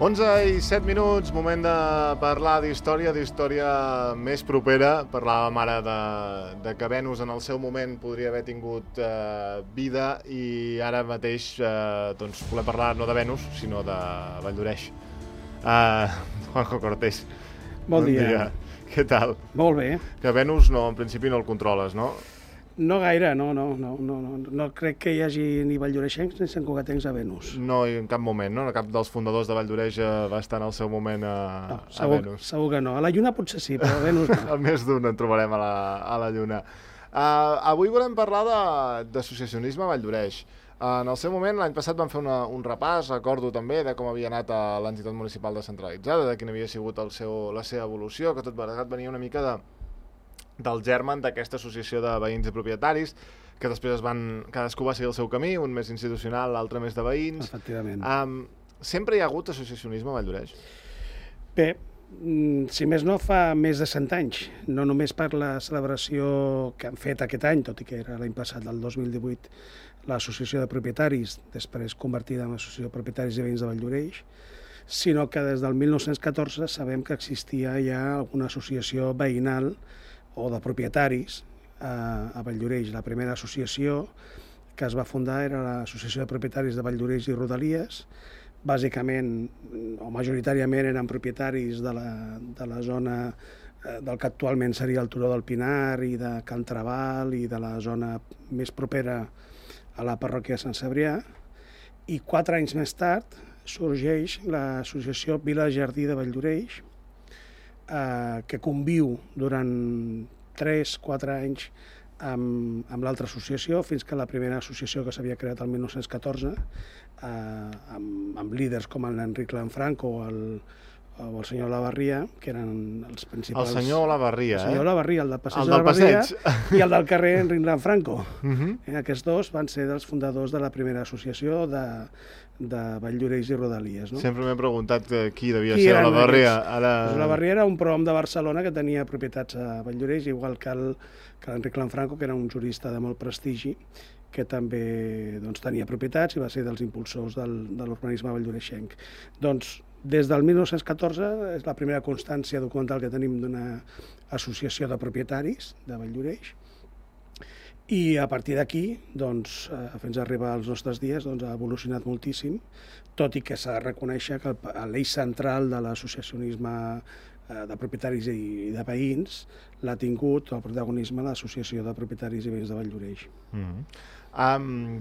11:07, moment de parlar d'història més propera. Parlàvem ara de que Venus en el seu moment podria haver tingut vida i ara mateix doncs volem parlar no de Venus, sinó de Valldoreix. Juanjo Cortés. Bon dia. Què tal? Molt bé. Que Venus en principi no el controles, no? No gaire, no crec que hi hagi ni valldoreixencs ni santcugatencs a Venus. No, en cap moment, no? Cap dels fundadors de Valldoreix va estar en el seu moment a Venus. Segur que no. A la Lluna potser sí, però a Venus no. A més d'un en trobarem a la Lluna. Avui volem parlar d'associacionisme a Valldoreix. En el seu moment, l'any passat vam fer un repàs, recordo també, de com havia anat a l'entitat municipal descentralitzada, de quina havia sigut la seva evolució, que tot plegat venia una mica del germen d'aquesta associació de veïns i propietaris, que després cadascú va seguir el seu camí, un més institucional, l'altre més de veïns. Efectivament. Sempre hi ha hagut associacionisme a Valldoreix? Bé, si més no, fa més de 100 anys. No només per la celebració que han fet aquest any, tot i que era l'any passat, del 2018, l'associació de propietaris, després convertida en l'associació de propietaris i veïns de Valldoreix, sinó que des del 1914 sabem que existia ja alguna associació veïnal o de propietaris a Valldoreix. La primera associació que es va fundar era l'Associació de Propietaris de Valldoreix i Rodalies. Bàsicament, o majoritàriament, eren propietaris de la zona del que actualment seria el Turó del Pinar i de Can Trabal i de la zona més propera a la parròquia de Sant Cebrià. I 4 anys més tard sorgeix l'associació Vila Jardí de Valldoreix, que conviu durant 3-4 anys amb l'altra associació, fins que la primera associació que s'havia creat el 1914, amb líders com l'Enric Lanfranco o el senyor Olavarria, que eren els principals... El senyor Olavarria, El senyor Olavarria, el del passeig de Olavarria, i el del carrer Enric Lanfranco. Aquests dos van ser dels fundadors de la primera associació de Valldoreix i Rodalies. No? Sempre m'he preguntat qui devia ser Olavarria. Olavarria era un prohom de Barcelona que tenia propietats a Valldoreix, igual que l'Enric Lanfranco, que era un jurista de molt prestigi, que també tenia propietats i va ser dels impulsors de l'urbanisme valldoreixenc. Doncs, des del 1914 és la primera constància documental que tenim d'una associació de propietaris de Valldoreix, i a partir d'aquí, fins a arribar als nostres dies, ha evolucionat moltíssim, tot i que s'ha de reconèixer que l'eix central de l'associacionisme de propietaris i de veïns l'ha tingut el protagonisme de l'Associació de Propietaris i Veïns de Valldoreix.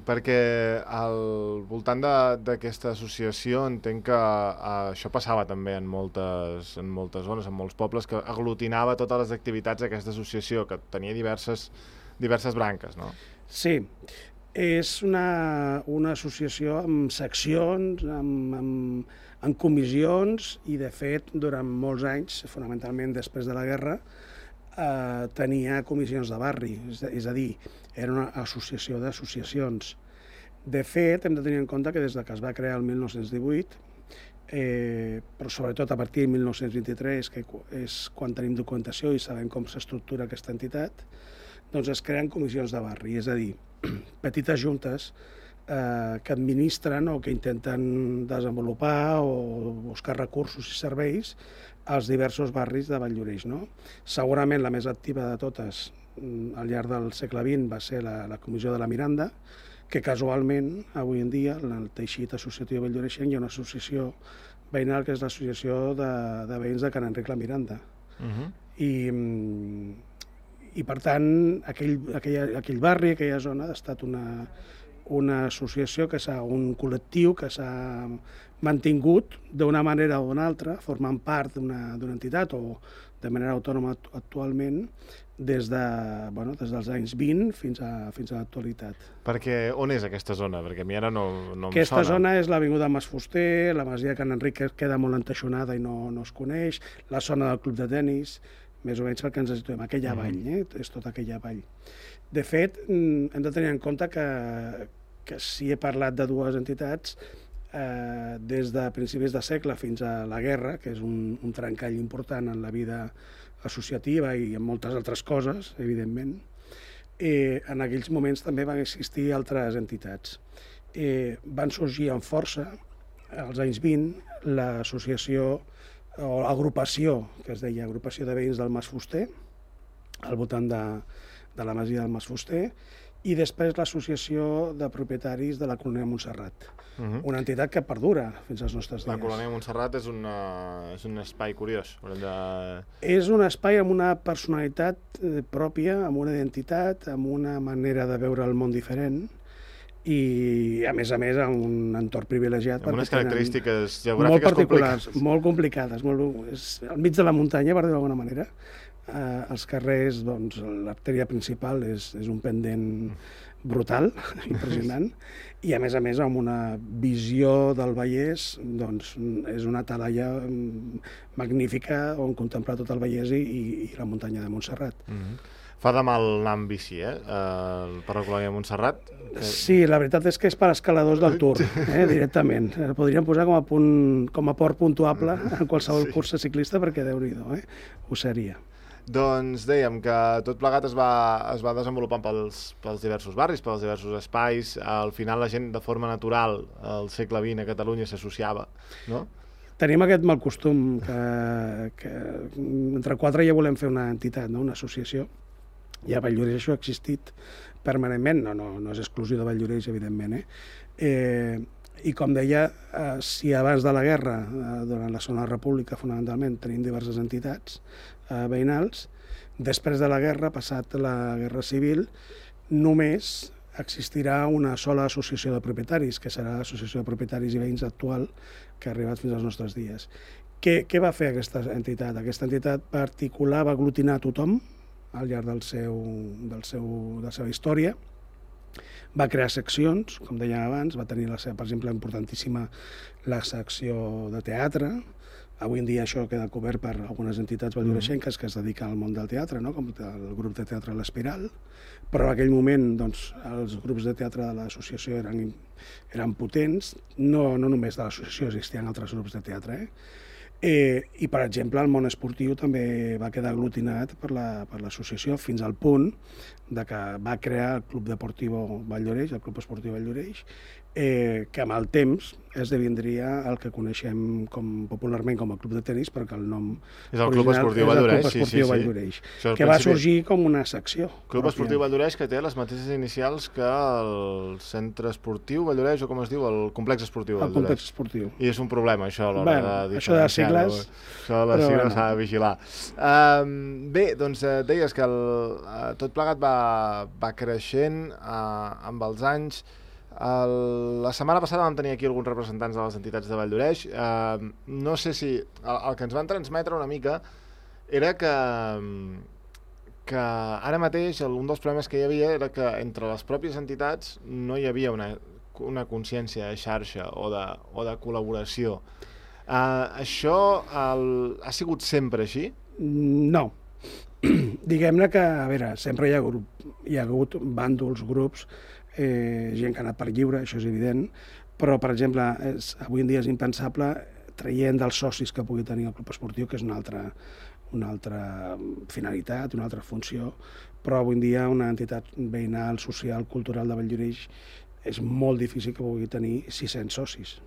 Perquè al voltant d'aquesta associació entenc que això passava també en moltes zones, en molts pobles, que aglutinava totes les activitats d'aquesta associació, que tenia diverses branques, no? Sí, és una associació amb seccions, amb comissions, i de fet durant molts anys, fonamentalment després de la guerra, tenia comissions de barri, és a dir, era una associació d'associacions. De fet, hem de tenir en compte que des que es va crear el 1918, però sobretot a partir del 1923, que és quan tenim documentació i sabem com s'estructura aquesta entitat, doncs es creen comissions de barri, és a dir, petites juntes que administren o que intenten desenvolupar o buscar recursos i serveis als diversos barris de Valldoreix. Segurament la més activa de totes al llarg del segle XX va ser la Comissió de la Miranda, que casualment, avui en dia, en el teixit associatiu valldoreixenc hi ha una associació veïnal que és l'associació de veïns de Can Enric la Miranda. I per tant, aquell barri, aquella zona, ha estat una associació, un col·lectiu que s'ha mantingut d'una manera o d'una altra, formant part d'una entitat o de manera autònoma actualment, des dels anys 20 fins a l'actualitat. Perquè on és aquesta zona? Perquè a mi ara no em sona. Aquesta zona és l'avinguda Mas Fuster, la masia de Can Enric queda molt enteixonada i no es coneix, la zona del club de tenis, més o menys perquè ens situem, aquella vall, és tota aquella vall. De fet, hem de tenir en compte que si he parlat de dues entitats, des de principis de segle fins a la guerra, que és un trencall important en la vida associativa i en moltes altres coses, evidentment, en aquells moments també van existir altres entitats. Van sorgir amb força als anys 20, l'associació o agrupació, que es deia Agrupació de Veïns del Mas Fuster, al voltant de la masia del Mas Fuster, i després l'Associació de Propietaris de la Colònia Montserrat, una entitat que perdura fins als nostres dies. La Colònia Montserrat és un espai curiós. És un espai amb una personalitat pròpia, amb una identitat, amb una manera de veure el món diferent, i a més amb un entorn privilegiat. Amb unes característiques geogràfiques particulars, molt complicades. Al mig de la muntanya, per dir-ho d'alguna manera. Els carrers, doncs, l'artèria principal és un pendent brutal, impressionant, i a més amb una visió del Vallès, doncs, és una talaia magnífica on contemplar tot el Vallès i la muntanya de Montserrat. Fa de mal anar amb bici, per la Colònia de Montserrat? Sí, la veritat és que és per escaladors del Tour, directament. Podríem posar com a port puntuable en qualsevol cursa ciclista, perquè Déu-n'hi-do, ho seria. Doncs dèiem que tot plegat es va desenvolupant pels diversos barris, pels diversos espais. Al final la gent de forma natural al segle XX a Catalunya s'associava, no? Tenim aquest mal costum que entre quatre ja volem fer una entitat, una associació. I a Valldoreix això ha existit permanentment, no és exclusiu de Valldoreix, evidentment. I com deia, si abans de la guerra, durant la Segona República, fonamentalment, tenim diverses entitats veïnals, després de la guerra, passat la Guerra Civil, només existirà una sola associació de propietaris, que serà l'Associació de Propietaris i Veïns actual, que ha arribat fins als nostres dies. Què va fer aquesta entitat? Aquesta entitat particular va aglutinar tothom al llarg de la seva història. Va crear seccions, com dèiem abans, va tenir, per exemple, importantíssima la secció de teatre. Avui en dia això queda cobert per algunes entitats valldoreixenques que es dediquen al món del teatre, com el grup de teatre L'Espiral, però en aquell moment els grups de teatre de l'associació eren potents, no només de l'associació, existien altres grups de teatre, i, per exemple, el món esportiu també va quedar aglutinat per l'associació fins al punt que va crear el Club Deportiu Valldoreix, el Club Esportiu Valldoreix, que amb el temps esdevindria el que coneixem popularment com a club de tenis, perquè el nom és el Club Esportiu Valldoreix, que va sorgir com una secció. Club Esportiu Valldoreix, que té les mateixes inicials que el Centre Esportiu Valldoreix, o com es diu, el Complex Esportiu Valldoreix. El Complex Esportiu. I és un problema, això, a l'hora de això de sigles. Això de les sigles s'ha de vigilar. Bé, doncs deies que tot plegat va creixent amb els anys. La setmana passada vam tenir aquí alguns representants de les entitats de Valldoreix. No sé si el que ens van transmetre una mica era que ara mateix un dels problemes que hi havia era que entre les pròpies entitats no hi havia una consciència de xarxa o de col·laboració. Això ha sigut sempre així? No. Diguem-ne que, a veure, sempre hi ha hagut bàndols, grups, gent que ha anat per lliure, això és evident, però, per exemple, avui en dia és impensable, traient dels socis que pugui tenir el club esportiu, que és una altra finalitat, una altra funció, però avui en dia una entitat veïnal, social, cultural de Valldoreix és molt difícil que pugui tenir 600 socis.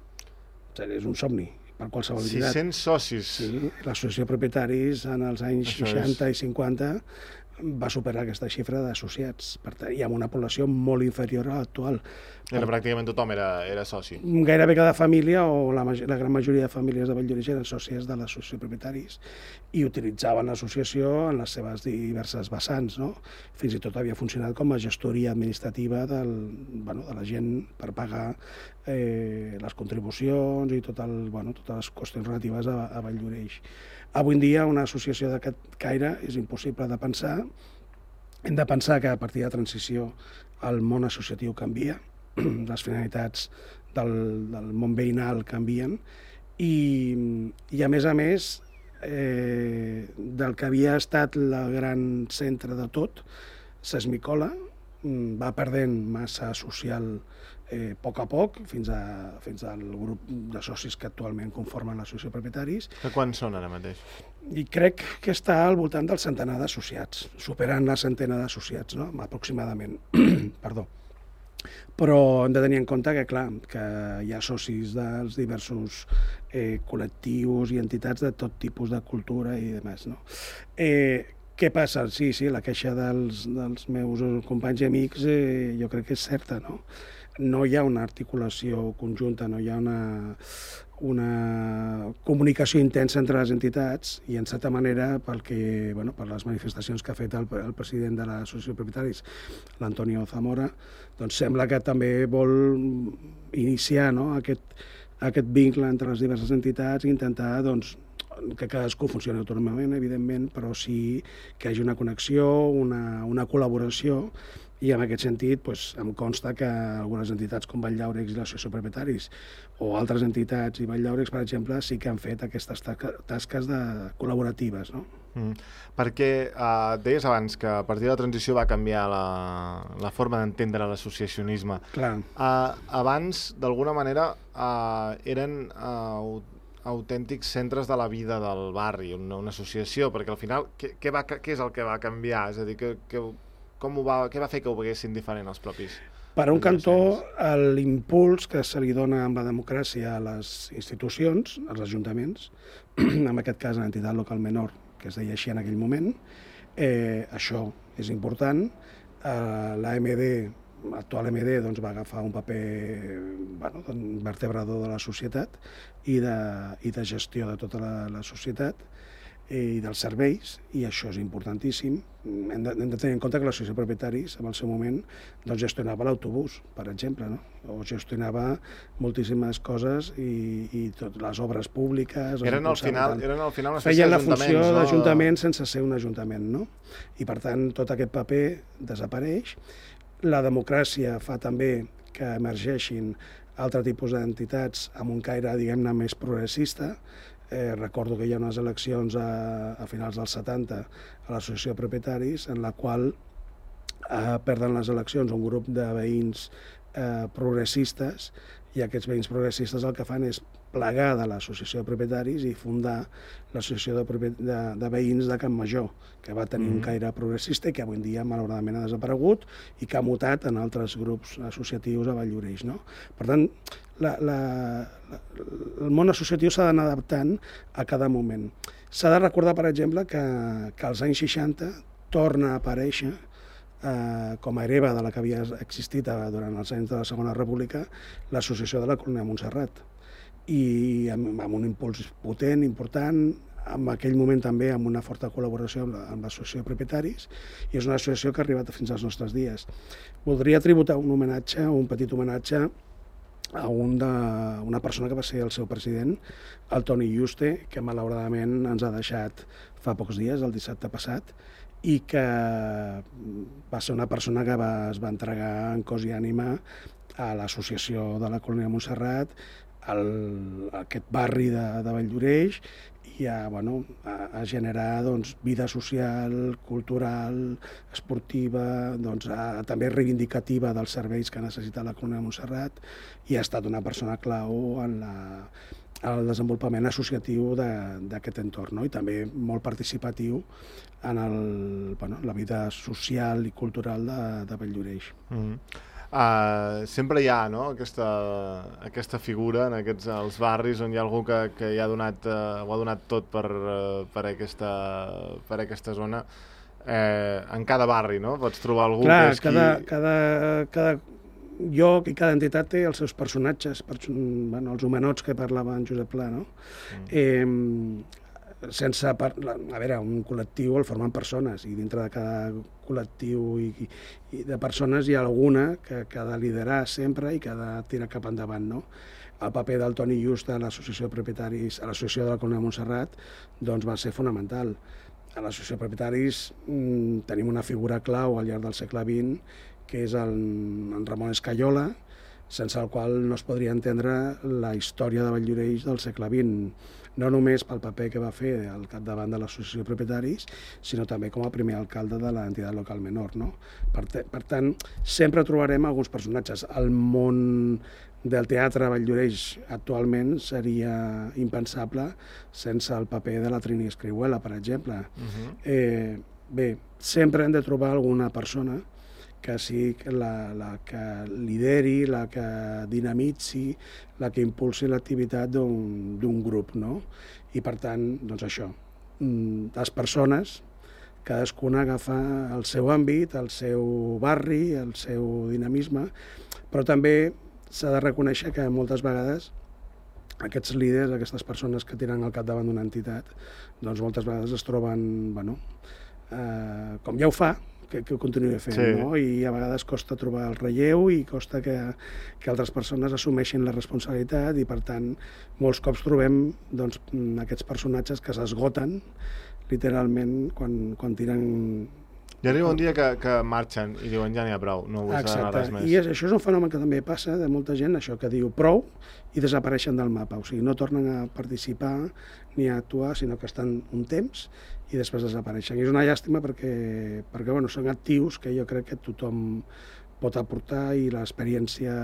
És un somni per qualsevol entitat. 600 socis? Sí, l'associació de propietaris en els anys 60 i 50 va superar aquesta xifra d'associats, i amb una població molt inferior a l'actual. Pràcticament tothom era soci. Gairebé cada família, o la gran majoria de famílies de Valldoreix eren sòcies de l'associació de propietaris i utilitzaven l'associació en les seves diverses vessants, no? Fins i tot havia funcionat com a gestoria administrativa de la gent per pagar les contribucions i totes les qüestions relatives a Valldoreix. Avui en dia una associació d'aquest caire és impossible de pensar. Hem de pensar que a partir de la transició el món associatiu canvia, les finalitats del món veïnal canvien i a més, del que havia estat el gran centre de tot, s'esmicola, va perdent massa social a poc, fins al grup de socis que actualment conformen l'associació de propietaris. Que quants són ara mateix? I crec que està al voltant del centenar d'associats, superant la centena d'associats, no? Aproximadament. Perdó. Però hem de tenir en compte que, clar, que hi ha socis dels diversos col·lectius i entitats de tot tipus de cultura i demés, no? Què passa? Sí, la queixa dels meus companys i amics jo crec que és certa, no? No hi ha una articulació conjunta, no hi ha una comunicació intensa entre les entitats i, en certa manera, per les manifestacions que ha fet el president de l'Associació de Propietaris, l'Antonio Zamora, doncs sembla que també vol iniciar, no, aquest vincle entre les diverses entitats i intentar que cadascú funcioni autònomament, evidentment, però sí que hi hagi una connexió, una col·laboració. I en aquest sentit em consta que algunes entitats com Valldaurex i l'Associació de Propietaris o altres entitats i Valldaurex, per exemple, sí que han fet aquestes tasques col·laboratives, no? Perquè deies abans que a partir de la transició va canviar la forma d'entendre l'associacionisme. Clar. Abans, d'alguna manera, eren autèntics centres de la vida del barri, una associació, perquè al final què és el que va canviar? És a dir, què va fer que ho veguessin diferent els propis? Per un cantó, l'impuls que se li dona amb la democràcia a les institucions, als ajuntaments, en aquest cas a l'entitat local menor, que es deia així en aquell moment, això és important. L'actual MD va agafar un paper vertebrador de la societat i de gestió de tota la societat i dels serveis, i això és importantíssim. Hem de tenir en compte que l'Associació de Propietaris, en el seu moment, gestionava l'autobús, per exemple, no? O gestionava moltíssimes coses i totes les obres públiques. Eren al final una espècie d'ajuntaments. Feien la funció d'ajuntament sense ser un ajuntament, no? I, per tant, tot aquest paper desapareix. La democràcia fa també que emergeixin altre tipus d'entitats amb un caire, diguem-ne, més progressista. Recordo que hi ha unes eleccions a finals dels 70 a l'Associació de Propietaris, en la qual perden les eleccions un grup de veïns progressistes, i aquests veïns progressistes el que fan és plegar de l'Associació de Propietaris i fundar l'Associació de Veïns de Can Major, que va tenir un caire progressista i que avui en dia malauradament ha desaparegut i que ha mutat en altres grups associatius a Valldoreix, no? Per tant, el món associatiu s'ha d'anar adaptant a cada moment. S'ha de recordar, per exemple, que als anys 60 torna a aparèixer com a hereva de la que havia existit durant els anys de la Segona República, l'Associació de la Colònia de Montserrat. I amb un impuls potent, important, en aquell moment també amb una forta col·laboració amb l'Associació de Propietaris, i és una associació que ha arribat fins als nostres dies. Voldria tributar un petit homenatge a una persona que va ser el seu president, el Toni Juste, que malauradament ens ha deixat fa pocs dies, el dissabte passat, i que va ser una persona que es va entregar en cos i ànima a l'associació de la Colònia de Montserrat, a aquest barri de Valldoreix, i a generar vida social, cultural, esportiva, també reivindicativa dels serveis que necessita la Colònia de Montserrat, i ha estat una persona clau en el desenvolupament associatiu d'aquest entorn, no? I també molt participatiu en la vida social i cultural de Valldoreix. Sempre hi ha, no, aquesta figura en els barris on hi ha algú que hi ha ho ha donat tot per aquesta zona. En cada barri, no? Pots trobar algú que és cada lloc i cada entitat té els seus personatges, els homenots que parlava en Josep Pla, no? Un col·lectiu el formen persones, i dintre de cada col·lectiu i de persones hi ha alguna que ha de liderar sempre i que ha de tirar cap endavant, no? El paper del Toni Just a l'Associació de Propietaris, a l'Associació de la Colònia de Montserrat, va ser fonamental. A l'Associació de Propietaris tenim una figura clau al llarg del segle XX, que és en Ramon Escaiola, sense el qual no es podria entendre la història de Valldoreix del segle XX, no només pel paper que va fer al capdavant de l'Associació de Propietaris, sinó també com a primer alcalde de l'entitat local menor, no? Per tant, sempre trobarem alguns personatges. El món del teatre a Valldoreix actualment seria impensable sense el paper de la Trini Escrihuela, per exemple. Bé, sempre hem de trobar alguna persona que sigui la que lideri, la que dinamitzi, la que impulsi l'activitat d'un grup, no? I per tant, doncs això, les persones, cadascuna agafa el seu àmbit, el seu barri, el seu dinamisme, però també s'ha de reconèixer que moltes vegades aquests líders, aquestes persones que tiren al capdavant d'una entitat, doncs moltes vegades es troben, bueno, com ja ho fa, que ho continuï fent, sí. No? I a vegades costa trobar el relleu i costa que altres persones assumeixin la responsabilitat i, per tant, molts cops trobem doncs, aquests personatges que s'esgoten literalment quan tiren... Ja arriba un dia que marxen i diuen ja n'hi ha prou, no vull saber res més. I això és un fenomen que també passa de molta gent, això que diu prou i desapareixen del mapa, o sigui, no tornen a participar ni a actuar, sinó que estan un temps i després desapareixen. I és una llàstima perquè bueno, són actius que jo crec que tothom pot aportar i l'experiència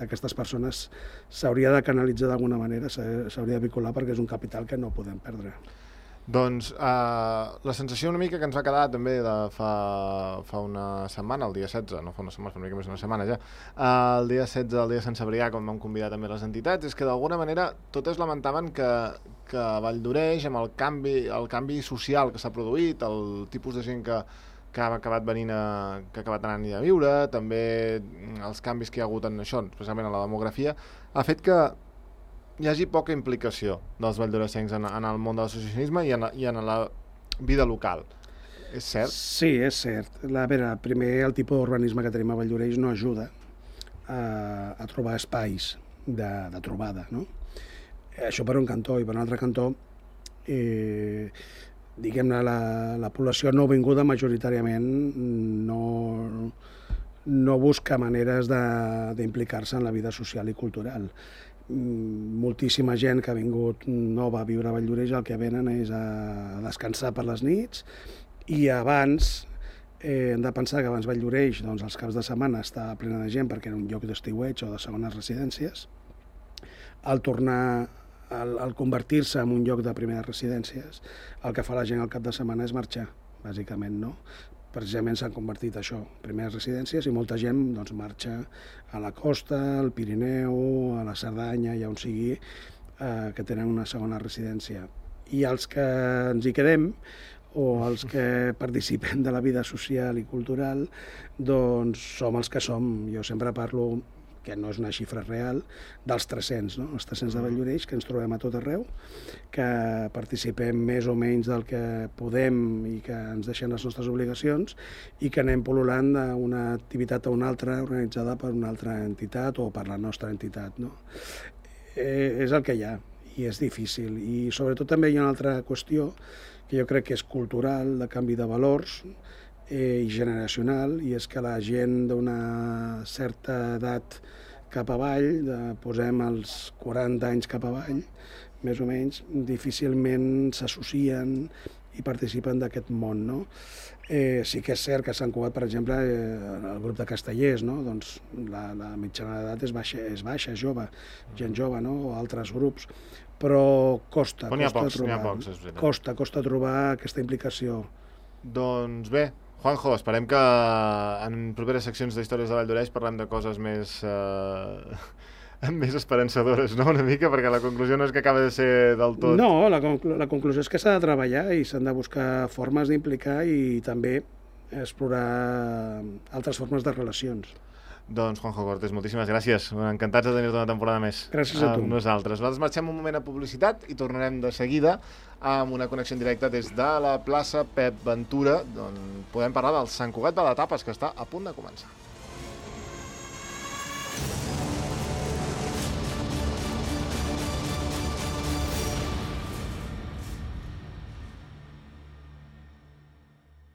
d'aquestes persones s'hauria de canalitzar d'alguna manera, s'hauria de vincular perquè és un capital que no podem perdre. Doncs la sensació una mica que ens va quedar també de fa una setmana, el dia 16, no fa una setmana, fa una mica més d'una setmana ja, el dia 16, el dia de Sant Cebrià, quan vam convidar també les entitats, és que d'alguna manera totes lamentaven que a Valldoreix, amb el canvi social que s'ha produït, el tipus de gent que ha acabat anant a viure, també els canvis que hi ha hagut en això, especialment en la demografia, ha fet que hi hagi poca implicació dels valldoreixencs en el món de l'associacionisme i en la vida local. És cert? Sí, és cert. A veure, primer, el tipus d'urbanisme que tenim a Valldoreix no ajuda a trobar espais de trobada, no? Això per un cantó, i per un altre cantó, diguem-ne, la població nouvinguda majoritàriament no busca maneres d'implicar-se en la vida social i cultural. Moltíssima gent que ha vingut nova a viure a Valldoreix el que venen és a descansar per les nits i abans hem de pensar que abans Valldoreix, doncs, els caps de setmana estava plena de gent perquè era un lloc d'estiueig o de segones residències. Al convertir-se en un lloc de primeres residències, el que fa la gent al cap de setmana és marxar, bàsicament, no? Precisament s'han convertit això, primeres residències, i molta gent doncs, marxa a la costa, al Pirineu, a la Cerdanya, ja on sigui, que tenen una segona residència. I els que ens hi quedem, o els que participem de la vida social i cultural, doncs som els que som. Jo sempre parlo, que no és una xifra real, dels 300, no? Els 300 de Valldoreix, que ens trobem a tot arreu, que participem més o menys del que podem i que ens deixen les nostres obligacions i que anem pol·lulant d'una activitat a una altra organitzada per una altra entitat o per la nostra entitat, no? És el que hi ha i és difícil. I sobretot també hi ha una altra qüestió que jo crec que és cultural, de canvi de valors, i generacional, i és que la gent d'una certa edat cap avall, posem els 40 anys cap avall, més o menys, difícilment s'associen i participen d'aquest món, no? Sí que és cert que a Sant Cugat, per exemple, el grup de castellers, no? Doncs la mitjana d'edat és baixa, és jove, gent jove, no? O altres grups, però costa trobar aquesta implicació. Doncs bé, Juanjo, esperem que en properes seccions d'Històries de Valldoreix parlem de coses més esperançadores, no?, una mica, perquè la conclusió no és que acaba de ser del tot... No, la conclusió és que s'ha de treballar i s'han de buscar formes d'implicar i també explorar altres formes de relacions. Doncs, Juanjo Cortés, moltíssimes gràcies. Encantats de tenir-te una temporada més. Gràcies a tu. Nosaltres. Nosaltres marxem un moment a publicitat i tornarem de seguida amb una connexió en directe des de la plaça Pep Ventura, on podem parlar del Sant Cugat de la Tapes, que està a punt de començar.